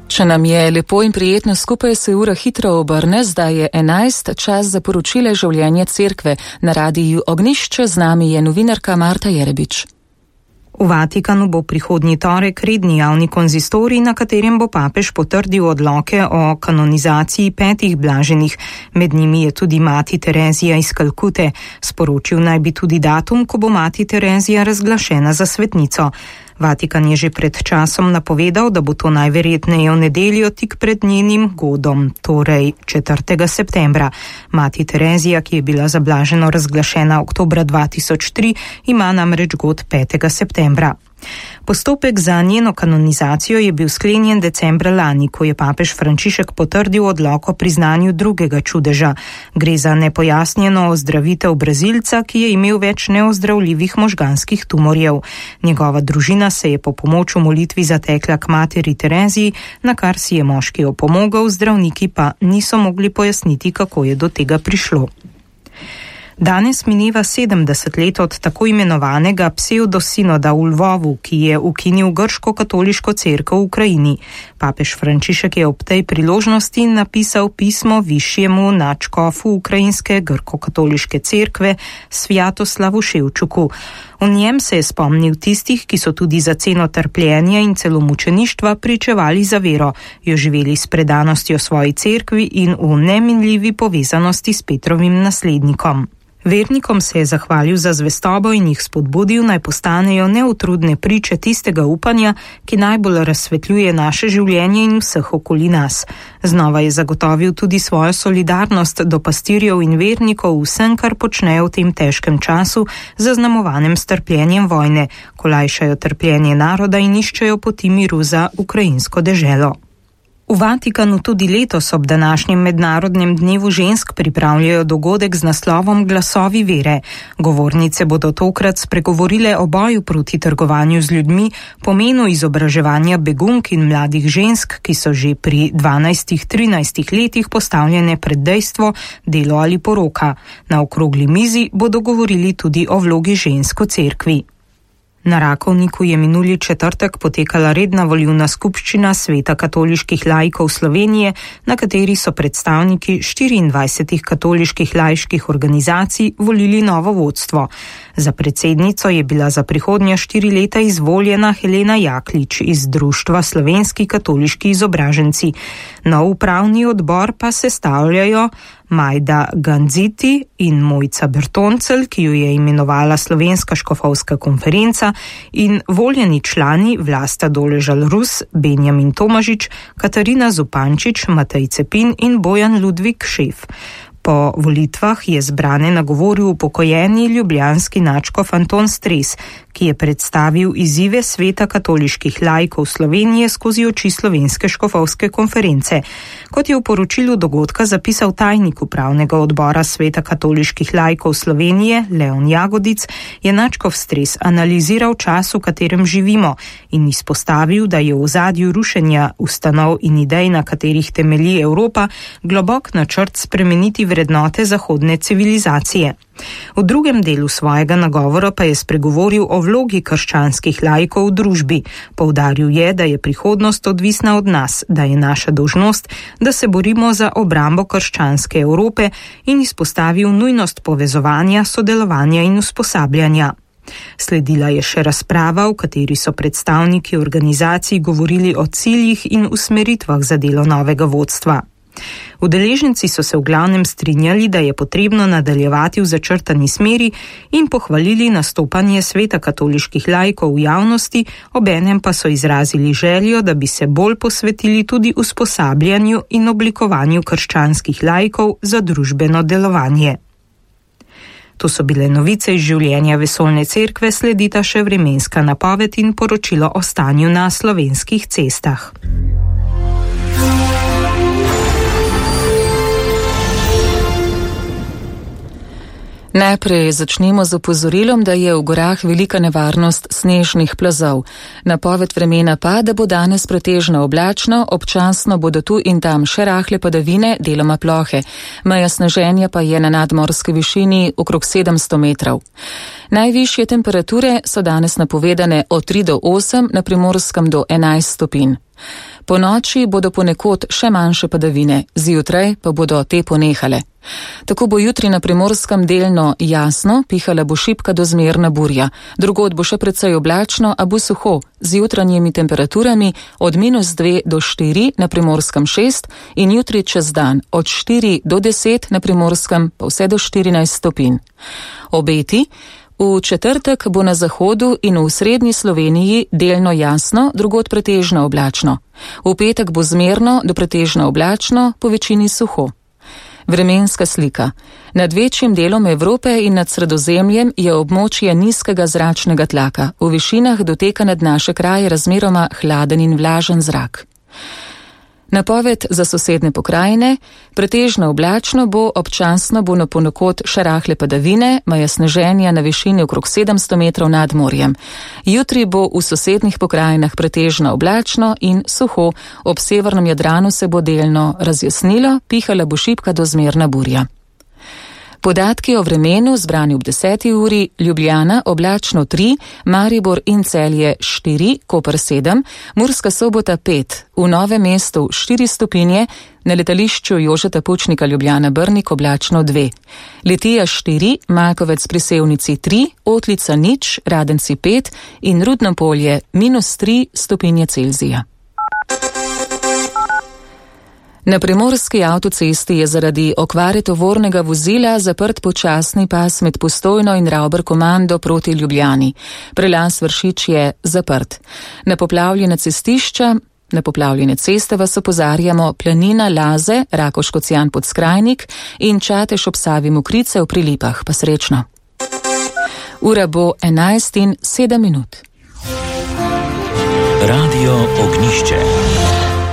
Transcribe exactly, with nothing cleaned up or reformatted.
Če nam je lepo in prijetno skupaj, se ura hitro obrne, zdaj je enajst, čas za poročile življenja cerkve. Na radiju Ognjišče z nami je novinarka Marta Jerebič. V Vatikanu bo prihodnji torek redni javni konzistorij, na katerem bo papež potrdil odloke o kanonizaciji petih blaženih. Med njimi je tudi mati Terezija iz Kalkute. Sporočil naj bi tudi datum, ko bo mati Terezija razglašena za svetnico. Vatikan je že pred časom napovedal, da bo to najverjetneje v nedeljo tik pred njenim godom, torej četrtega septembra. Mati Terezija, ki je bila za blaženo razglašena oktobra dva tisoč tri, ima namreč god petega septembra. Postopek za njeno kanonizacijo je bil sklenjen decembra lani, ko je papež Frančišek potrdil odlok o priznanju drugega čudeža. Gre za nepojasnjeno ozdravitev Brazilca, ki je imel več neozdravljivih možganskih tumorjev. Njegova družina se je po pomoč v molitvi zatekla k materi Tereziji, na kar si je moški opomogel, zdravniki pa niso mogli pojasniti, kako je do tega prišlo. Danes mineva sedemdeset let od tako imenovanega pseudosinoda v Lvovu, ki je ukinil grško-katoliško cerkev v Ukrajini. Papež Frančišek je ob tej priložnosti napisal pismo višjemu nadškofu ukrajinske grko-katoliške cerkve Svjatoslavu Ševčuku. V njem se je spomnil tistih, ki so tudi za ceno trpljenja in celo mučeništva pričevali za vero, jo živeli s predanostjo svoji cerkvi in v neminljivi povezanosti s Petrovim naslednikom. Vernikom se je zahvalil za zvestobo in jih spodbudil, naj postanejo neutrudne priče tistega upanja, ki najbolj razsvetljuje naše življenje in vseh okoli nas. Znova je zagotovil tudi svojo solidarnost do pastirjev in vernikov vsem, kar počnejo v tem težkem času, zaznamovanem s trpljenjem vojne, ko lajšajo trpljenje naroda in iščejo poti miru za ukrajinsko deželo. V Vatikanu tudi letos ob današnjem mednarodnem dnevu žensk pripravljajo dogodek z naslovom Glasovi vere. Govornice bodo tokrat spregovorile o boju proti trgovanju z ljudmi, pomenu izobraževanja begunk in mladih žensk, ki so že pri dvanajstih trinajstih letih postavljene pred dejstvo, delo ali poroka. Na okrogli mizi bodo govorili tudi o vlogi žensk v cerkvi. Na Rakovniku je minuli četrtek potekala redna volilna skupščina Sveta katoliških laikov Slovenije, na kateri so predstavniki štiriindvajsetih katoliških laiških organizacij volili novo vodstvo. Za predsednico je bila za prihodnja štiri leta izvoljena Helena Jaklič iz Društva Slovenski katoliški izobraženci. Nov upravni odbor pa sestavljajo Majda Ganziti in Mojca Bertoncel, ki jo je imenovala Slovenska škofovska konferenca, in voljeni člani Vlasta Doležal Rus, Benjamin Tomažič, Katarina Zupančič, Matej Cepin in Bojan Ludvik Šef. Po volitvah je zbrane nagovoril upokojeni ljubljanski nadškof Anton Stres, ki je predstavil izzive Sveta katoliških laikov Slovenije skozi oči Slovenske škofovske konference. Kot je v poročilu dogodka zapisal tajnik upravnega odbora Sveta katoliških laikov Slovenije Leon Jagodic, je nadškof Stres analiziral čas, v katerem živimo, in izpostavil, da je v ozadju rušenja ustanov in idej, na katerih temelji Evropa, globok načrt spremeniti vrednote zahodne civilizacije. V drugem delu svojega nagovora pa je spregovoril o vlogi krščanskih laikov v družbi. Poudaril je, da je prihodnost odvisna od nas, da je naša dolžnost, da se borimo za obrambo krščanske Evrope, in izpostavil nujnost povezovanja, sodelovanja in usposabljanja. Sledila je še razprava, v kateri so predstavniki organizacij govorili o ciljih in usmeritvah za delo novega vodstva. Udeleženci so se v glavnem strinjali, da je potrebno nadaljevati v začrtani smeri, in pohvalili nastopanje Sveta katoliških laikov v javnosti, obenem pa so izrazili željo, da bi se bolj posvetili tudi usposabljanju in oblikovanju krščanskih laikov za družbeno delovanje. To so bile novice iz življenja Vesoljne cerkve, sledita še vremenska napoved in poročilo o stanju na slovenskih cestah. Najprej začnemo z opozorilom, da je v gorah velika nevarnost snežnih plazov. Napoved vremena pa, da bo danes pretežno oblačno, občasno bodo tu in tam še rahle padavine, deloma plohe. Meja sneženja pa je na nadmorski višini okrog sedemsto metrov. Najvišje temperature so danes napovedane od tri do osem, na Primorskem do enajst stopinj. Po noči bodo ponekod še manjše padavine, zjutraj pa bodo te ponehale. Tako bo jutri na Primorskem delno jasno, pihala bo šibka do zmerna burja. Drugod bo še precej oblačno, a bo suho, z jutranjimi temperaturami od minus dve do štiri, na Primorskem šest in jutri čez dan od štiri do deset, na Primorskem pa vse do štirinajst stopinj. Obeti: v četrtek bo na zahodu in v srednji Sloveniji delno jasno, drugod pretežno oblačno. V petek bo zmerno do pretežno oblačno, po večini suho. Vremenska slika. Nad večjim delom Evrope in nad Sredozemljem je območje nizkega zračnega tlaka. V višinah doteka nad naše kraje razmeroma hladen in vlažen zrak. Napoved za sosedne pokrajine: pretežno oblačno bo, občasno bo na ponekod še rahle padavine, maja sneženja na višini okrog sedemsto metrov nad morjem. Jutri bo v sosednih pokrajinah pretežno oblačno in suho, ob severnem Jadranu se bo delno razjasnilo, pihala bo šibka do zmerna burja. Podatki o vremenu zbrani ob deseti uri: Ljubljana oblačno tri, Maribor in Celje štiri, Koper sedem, Murska Sobota pet, v Novem mestu štiri stopinje, na letališču Jožeta Pučnika Ljubljana Brnik oblačno dve, Litija štiri, Malkovec pri Sevnici tri, Otlica nič, Radenci pet in Rudno Polje minus tri stopinje Celzija. Na primorski avtocesti je zaradi okvare tovornega vozila zaprt počasni pas med Postojno in Ravber-Komando proti Ljubljani. Prelaz Vršič je zaprt. Na poplavljene cestišča, na poplavljene ceste vas opozarjamo Planina, Laze, Rakoš-Kocijan Podskrajnik in Čatež ob Savi Mokrice v Prilipah. Pa srečno. Ura bo enajst in sedem minut. Radio Ognjišče.